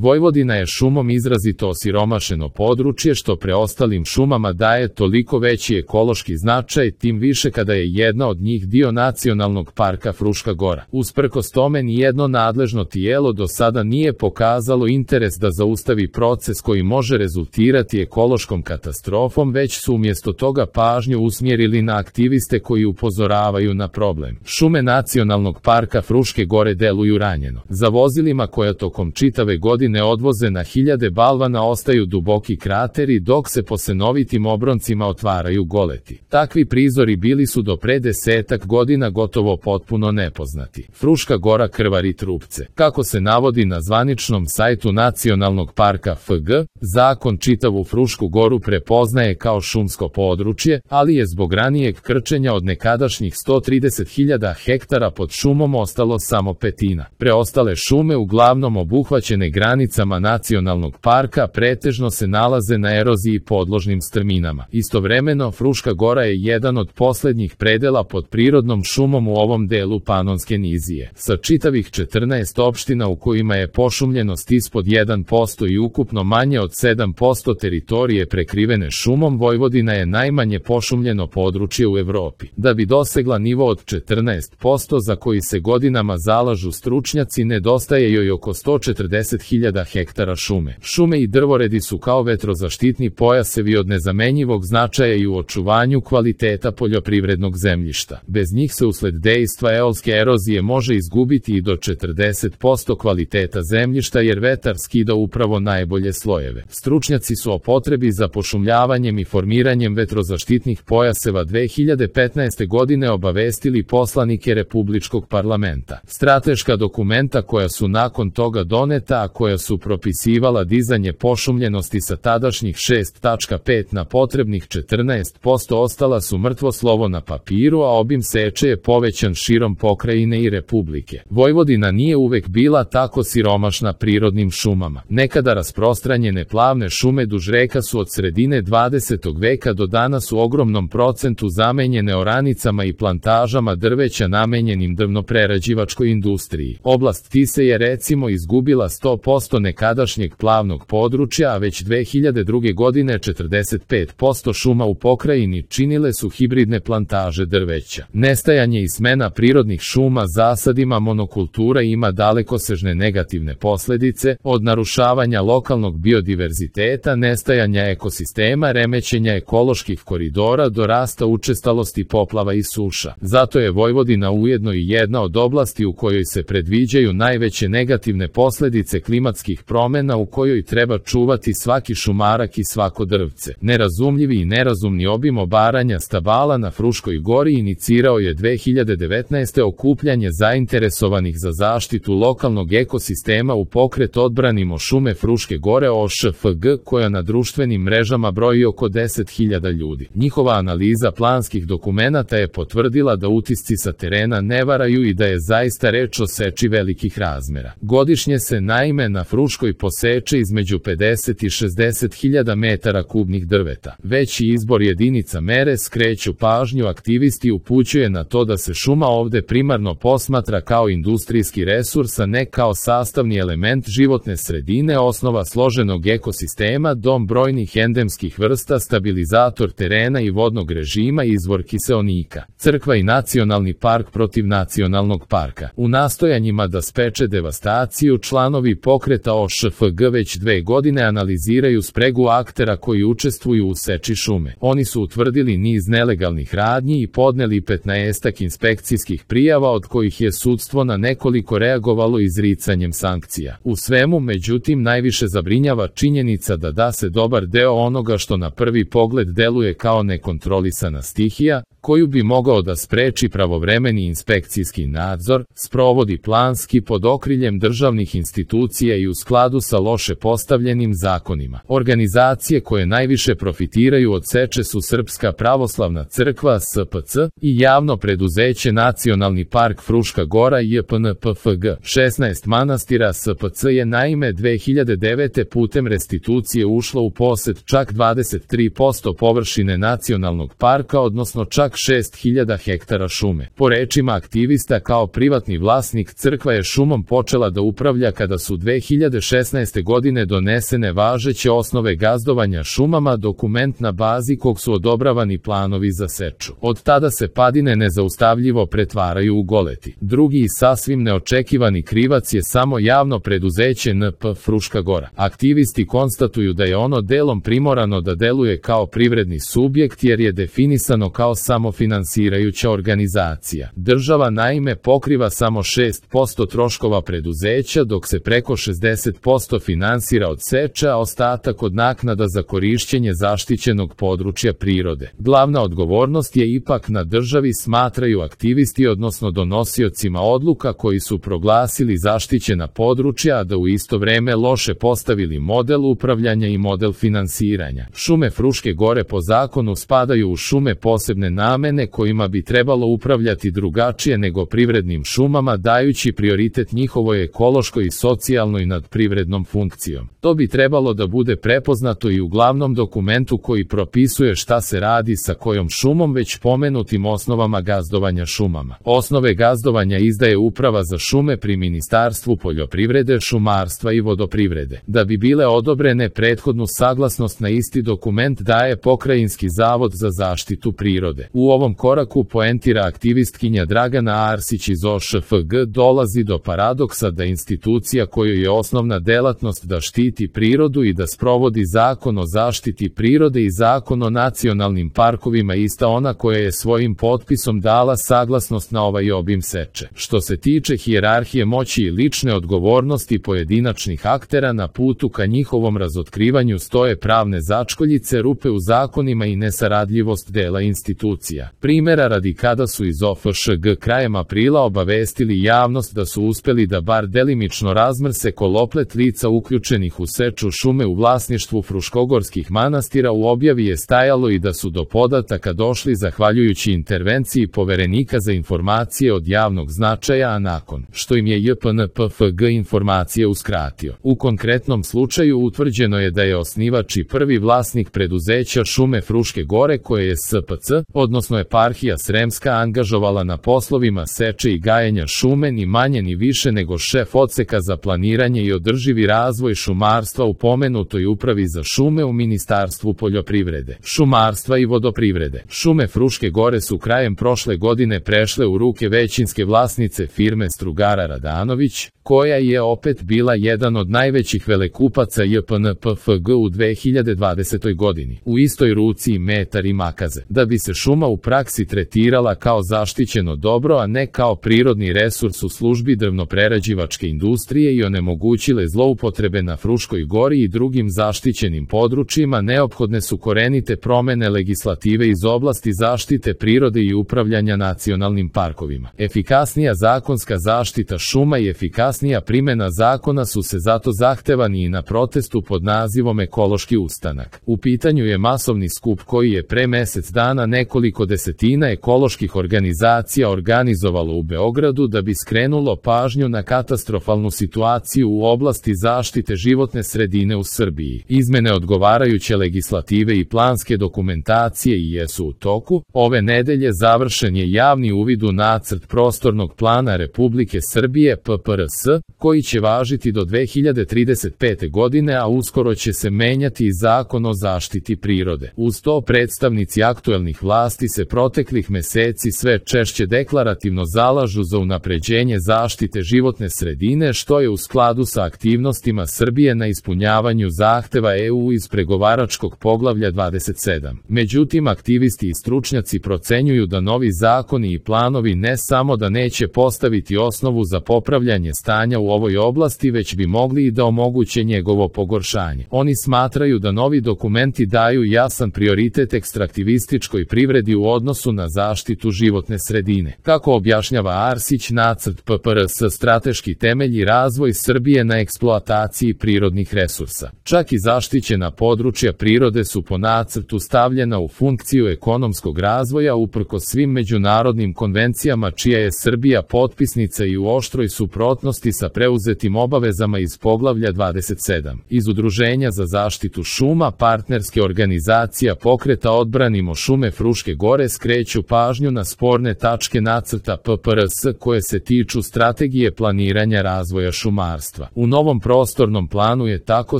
Vojvodina je šumom izrazito osiromašeno područje što preostalim šumama daje toliko veći ekološki značaj, tim više kada je jedna od njih dio Nacionalnog parka Fruška Gora. Usprkos tome nijedno nadležno tijelo do sada nije pokazalo interes da zaustavi proces koji može rezultirati ekološkom katastrofom, već su umjesto toga pažnju usmjerili na aktiviste koji upozoravaju na problem. Šume Nacionalnog parka Fruške Gore deluju ranjeno. Za vozilima koja tokom čitave godine odvoze na hiljade balvana ostaju duboki krateri, dok se po senovitim obroncima otvaraju goleti. Takvi prizori bili su do pre 10 godina gotovo potpuno nepoznati. Fruška Gora krvari trupce. Kako se navodi na zvaničnom sajtu Nacionalnog parka FG, zakon čitavu Frušku Goru prepoznaje kao šumsko područje, ali je zbog ranijeg krčenja od nekadašnjih 130.000 hektara pod šumom ostalo samo petina. Preostale šume, uglavnom obuhvaćene granicama nacionalnog parka, pretežno se nalaze na eroziji podložnim strminama. Istovremeno, Fruška Gora je jedan od posljednjih predela pod prirodnom šumom u ovom delu Panonske nizije. Sa čitavih 14 opština u kojima je pošumljenost ispod 1% i ukupno manje od 7% teritorije prekrivene šumom, Vojvodina je najmanje pošumljeno područje u Evropi. Da bi dosegla nivo od 14% za koji se godinama zalažu stručnjaci, nedostaje joj oko 140.000 hektara šume. Šume i drvoredi su kao vetrozaštitni pojasevi od nezamenjivog značaja i u očuvanju kvaliteta poljoprivrednog zemljišta. Bez njih se usled dejstva eolske erozije može izgubiti i do 40% kvaliteta zemljišta, jer vetar skida upravo najbolje slojeve. Stručnjaci su o potrebi za pošumljavanjem i formiranjem vetrozaštitnih pojaseva 2015. godine obavestili poslanike Republičkog parlamenta. Strateška dokumenta koja su nakon toga doneta, a koja su propisivala dizanje pošumljenosti sa tadašnjih 6,5 na potrebnih 14%, ostala su mrtvo slovo na papiru, a obim seče je povećan širom pokrajine i Republike. Vojvodina nije uvek bila tako siromašna prirodnim šumama. Nekada rasprostranjene plavne šume duž reka su od sredine 20. veka do danas u ogromnom procentu zamenjene oranicama i plantažama drveća namenjenim drvnoprerađivačkoj industriji. Oblast Tise je recimo izgubila 100% nekadašnjeg plavnog područja, a već 2002. godine 45% šuma u pokrajini činile su hibridne plantaže drveća. Nestajanje i smena prirodnih šuma zasadima monokultura ima dalekosežne negativne posljedice, od narušavanja lokalnog biodiverziteta, nestajanja ekosistema, remećenja ekoloških koridora do rasta učestalosti poplava i suša. Zato je Vojvodina ujedno i jedna od oblasti u kojoj se predviđaju najveće negativne posljedice klimatskih promjena, u kojoj treba čuvati svaki šumarak i svako drvce. Nerazumljivi i nerazumni obim obaranja stabala na Fruškoj Gori inicirao je 2019. okupljanje zainteresovanih za zaštitu lokalnog ekosistema u pokret Odbranimo šume Fruške Gore OŠFG, koja na društvenim mrežama broji oko 10.000 ljudi. Njihova analiza planskih dokumenata je potvrdila da utisci sa terena ne varaju i da je zaista reč o seči velikih razmera. Godišnje se naime na Fruškoj poseče između 50 i 60.000 metara kubnih drveta. Veći izbor jedinica mere, skreću pažnju aktivisti, upućuje na to da se šuma ovde primarno posmatra kao industrijski resurs, a ne kao sastavni element životne sredine, osnova složenog ekosistema, dom brojnih endemskih vrsta, stabilizator terena i vodnog režima, izvor kiseonika. Crkva i nacionalni park protiv nacionalnog parka. U nastojanjima da spreče devastaciju, članovi pokreta OŠFG već 2 godine analiziraju spregu aktera koji učestvuju u seči šume. Oni su utvrdili niz nelegalnih radnji i podneli 15 inspekcijskih prijava, od kojih je sudstvo na nekoliko reagovalo izricanjem sankcija. U svemu, međutim, najviše zabrinjava činjenica da se dobar deo onoga što na prvi pogled deluje kao nekontrolisana stihija, koju bi mogao da spreči pravovremeni inspekcijski nadzor, sprovodi planski pod okriljem državnih institucija i u skladu sa loše postavljenim zakonima. Organizacije koje najviše profitiraju od seče su Srpska pravoslavna crkva SPC i javno preduzeće Nacionalni park Fruška Gora JPNPFG. 16 manastira SPC je naime 2009. putem restitucije ušlo u posed čak 23% površine nacionalnog parka, odnosno čak 6.000 hektara šume. Po rečima aktivista, kao privatni vlasnik, crkva je šumom počela da upravlja kada su 2016. godine donesene važeće osnove gazdovanja šumama, dokument na bazi kog su odobravani planovi za seču. Od tada se padine nezaustavljivo pretvaraju u goleti. Drugi i sasvim neočekivani krivac je samo javno preduzeće NP Fruška Gora. Aktivisti konstatuju da je ono delom primorano da deluje kao privredni subjekt jer je definisano kao samofinansirajuća organizacija. Država naime pokriva samo 6% troškova preduzeća, dok se preko 60% finansira od seča, a ostatak od naknada za korišćenje zaštićenog područja prirode. Glavna odgovornost je ipak na državi, smatraju aktivisti, odnosno donosiocima odluka koji su proglasili zaštićena područja, a da u isto vreme loše postavili model upravljanja i model finansiranja. Šume Fruške Gore po zakonu spadaju u šume posebne namene kojima bi trebalo upravljati drugačije nego privrednim šumama, dajući prioritet njihovoj ekološkoj i socijalnoj nad privrednom funkcijom. To bi trebalo da bude prepoznato i u glavnom dokumentu koji propisuje šta se radi sa kojom šumom, već pomenutim osnovama gazdovanja šumama. Osnove gazdovanja izdaje Uprava za šume pri Ministarstvu poljoprivrede, šumarstva i vodoprivrede. Da bi bile odobrene, prethodnu saglasnost na isti dokument daje Pokrajinski zavod za zaštitu prirode. U ovom koraku, poentira aktivistkinja Dragana Arsić iz OŠFG, dolazi do paradoksa da institucija kojoj je osnovna delatnost da štiti prirodu i da sprovodi Zakon o zaštiti prirode i Zakon o nacionalnim parkovima, ista ona koja je svojim potpisom dala saglasnost na ovaj obim seče. Što se tiče hijerarhije moći i lične odgovornosti pojedinačnih aktera, na putu ka njihovom razotkrivanju stoje pravne začkoljice, rupe u zakonima i nesaradljivost dela institucija. Primera radi, kada su iz OFŠG krajem aprila obavestili javnost da su uspeli da bar delimično razmrse koloplet lica uključenih u seču šume u vlasništvu fruškogorskih manastira, u objavi je stajalo i da su do podataka došli zahvaljujući intervenciji Poverenika za informacije od javnog značaja, a nakon što im je JPNPFG informacije uskratio. U konkretnom slučaju utvrđeno je da je osnivač i prvi vlasnik preduzeća Šume Fruške Gore, koje je SPC, odnosno Eparhija Sremska, angažovala na poslovima seče i gajenja šume ni manje ni više nego šef odseka za planiranje i održivi razvoj šumarstva u pomenutoj Upravi za šume u Ministarstvu poljoprivrede, šumarstva i vodoprivrede. Šume Fruške Gore su krajem prošle godine prešle u ruke većinske vlasnice firme Strugara Radanović, koja je opet bila jedan od najvećih velekupaca JPNPFG u 2020. godini. U istoj ruci i metar i makaze. Da bi se šuma u praksi tretirala kao zaštićeno dobro, a ne kao prirodni resurs u službi drvnoprerađivačke industrije i onemogućile zloupotrebe na Fruškoj Gori i drugim zaštićenim područjima, neophodne su korenite promene legislative iz oblasti zaštite prirode i upravljanja nacionalnim parkovima. Efikasnija zakonska zaštita šuma i efikasnija primjena zakona su se zato zahtevani i na protestu pod nazivom Ekološki ustanak. U pitanju je masovni skup koji je pre mesec dana nekoliko desetina ekoloških organizacija organizovalo u Beogradu da bi skrenulo pažnju na katastrofalnu situaciju u oblasti zaštite životne sredine u Srbiji. Izmene odgovarajuće legislative i planske dokumentacije i jesu u toku. Ove nedelje završen je javni uvid u nacrt prostornog plana Republike Srbije PPRS, koji će važiti do 2035. godine, a uskoro će se menjati i Zakon o zaštiti prirode. Uz to, predstavnici aktuelnih vlasti se proteklih meseci sve češće deklarativno zalažu za unapređenje zaštite životne sredine, što je u skladu sa aktivnostima Srbije na ispunjavanju zahteva EU iz pregovaračkog poglavlja 27. Međutim, aktivisti i stručnjaci procenjuju da novi zakoni i planovi ne samo da neće postaviti osnovu za popravljanje stanja u ovoj oblasti, već bi mogli i da omoguće njegovo pogoršanje. Oni smatraju da novi dokumenti daju jasan prioritet ekstraktivističkoj privredi u odnosu na zaštitu životne sredine. Kako objašnjava Arsić, nacrt PPRS strateški temelji razvoj Srbije na eksploataciji prirodnih resursa. Čak i zaštićena područja prirode su po nacrtu stavljena u funkciju ekonomskog razvoja uprkos svim međunarodnim konvencijama čija je Srbija potpisnica i u oštroj suprotnosti sa preuzetim obavezama iz poglavlja 27. Iz Udruženja za zaštitu šuma, partnerske organizacija Pokreta Odbranimo šume Fruške Gore skreću pažnju na sporne tačke nacrta PPRS koje se tiču strategije planiranja razvoja šumarstva. šumarstva. U novom prostornom planu je tako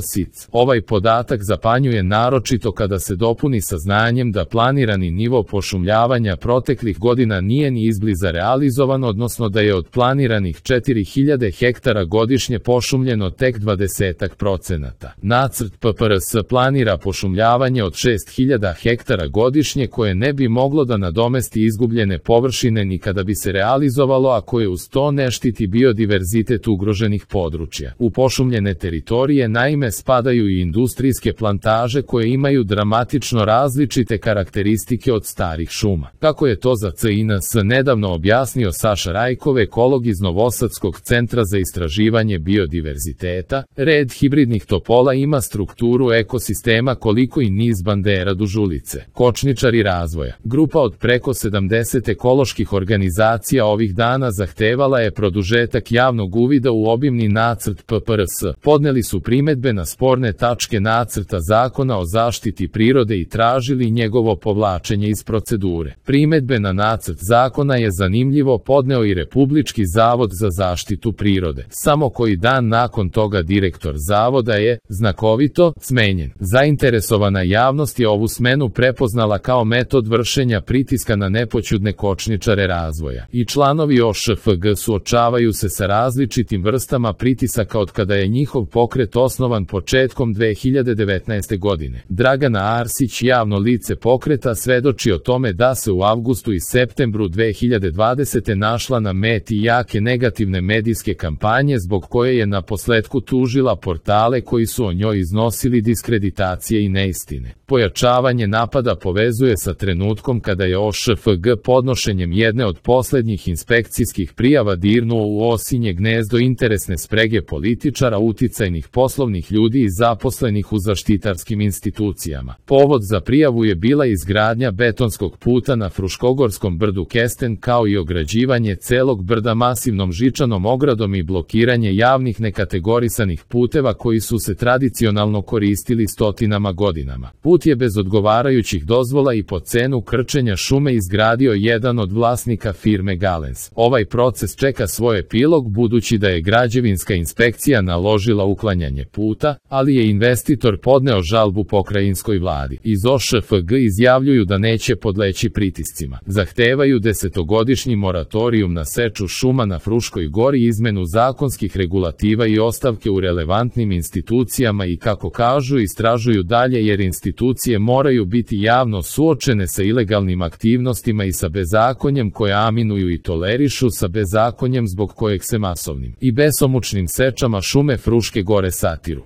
SIC. Ovaj podatak zapanjuje naročito kada se dopuni sa znanjem da planirani nivo pošumljavanja proteklih godina nije ni izbliza realizovan, odnosno da je od planiranih 4000 hektara godišnje pošumljeno tek 20%. Nacrt PPRS planira pošumljavanje od 6000 hektara godišnje koje ne bi moglo da nadomesti izgubljene površine ni kada bi se realizovalo, a koje uz to ne štiti biodiverzitet ugroženih područja. U pošumljene teritorije naime spadaju i industrijske plantaže koje imaju dramatično različite karakteristike od starih šuma. Kako je to za CINS nedavno objasnio Saša Rajkov, ekolog iz Novosadskog centra za istraživanje biodiverziteta, red hibridnih topola ima strukturu ekosistema koliko i niz bandera duž ulice. Kočničari razvoja. Grupa od preko 70 ekoloških organizacija ovih dana zahtevala je produžetak javnog uvida u obimni nacrt PPRS. Podneli su primedbe na sporne tačke nacrta zakona o zaštiti prirode i tražili njegovo povlačenje iz procedure. Primedbe na nacrt zakona je zanimljivo podneo i Republički zavod za zaštitu prirode. Samo koji dan nakon toga direktor zavoda je, znakovito, smenjen. Zainteresovana javnost je ovu smenu prepoznala kao metod vršenja pritiska na nepoćudne kočničare razvoja. I članovi OŠFG suočavaju se sa različitim vrstama pritisaka od kada je njihov pokret osnovan početkom 2019. godine. Dragana Arsić, javno lice pokreta, svedoči o tome da se u avgustu i septembru 2020. našla na meti jake negativne medijske kampanje zbog koje je naposletku tužila portale koji su o njoj iznosili diskreditacije i neistine. Pojačavanje napada povezuje sa trenutkom kada je OŠFG podnošenjem jedne od poslednjih inspekcijskih prijava dirnuo u osinje gnezdo interesne sprege političara, uticajnih poslovnih ljudi i zaposlenih u zaštitarskim institucijama. Povod za prijavu je bila izgradnja betonskog puta na Fruškogorskom brdu Kesten, kao i ograđivanje celog brda masivnom žičanom ogradom i blokiranje javnih nekategorisanih puteva koji su se tradicionalno koristili stotinama godinama. Put je bez odgovarajućih dozvola i po cenu krčenja šume izgradio jedan od vlasnika firme Galens. Ovaj proces čeka svoj epilog budući da je građevinska inspekcija naložila uklanjanje puta, ali je investitor podneo žalbu pokrajinskoj vladi. Iz OŠFG izjavljuju da neće podleći pritiscima. Zahtevaju 10-godišnji moratorijum na seču šuma na Fruškoj gori, izmenu zakonskih regulativa i ostavke u relevantnim institucijama i, kako kažu, istražuju dalje jer institucije moraju biti javno suočene sa ilegalnim aktivnostima i sa bezakonjem koje aminuju i tolerišu, sa bezakonjem zbog kojeg se masovnim i besomučnim sečama šume Fruške gore satiru.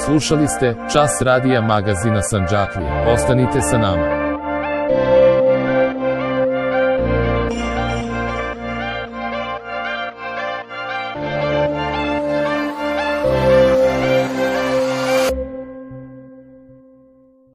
Slušali ste Čas radija magazina Sandžaklija. Ostanite sa nama.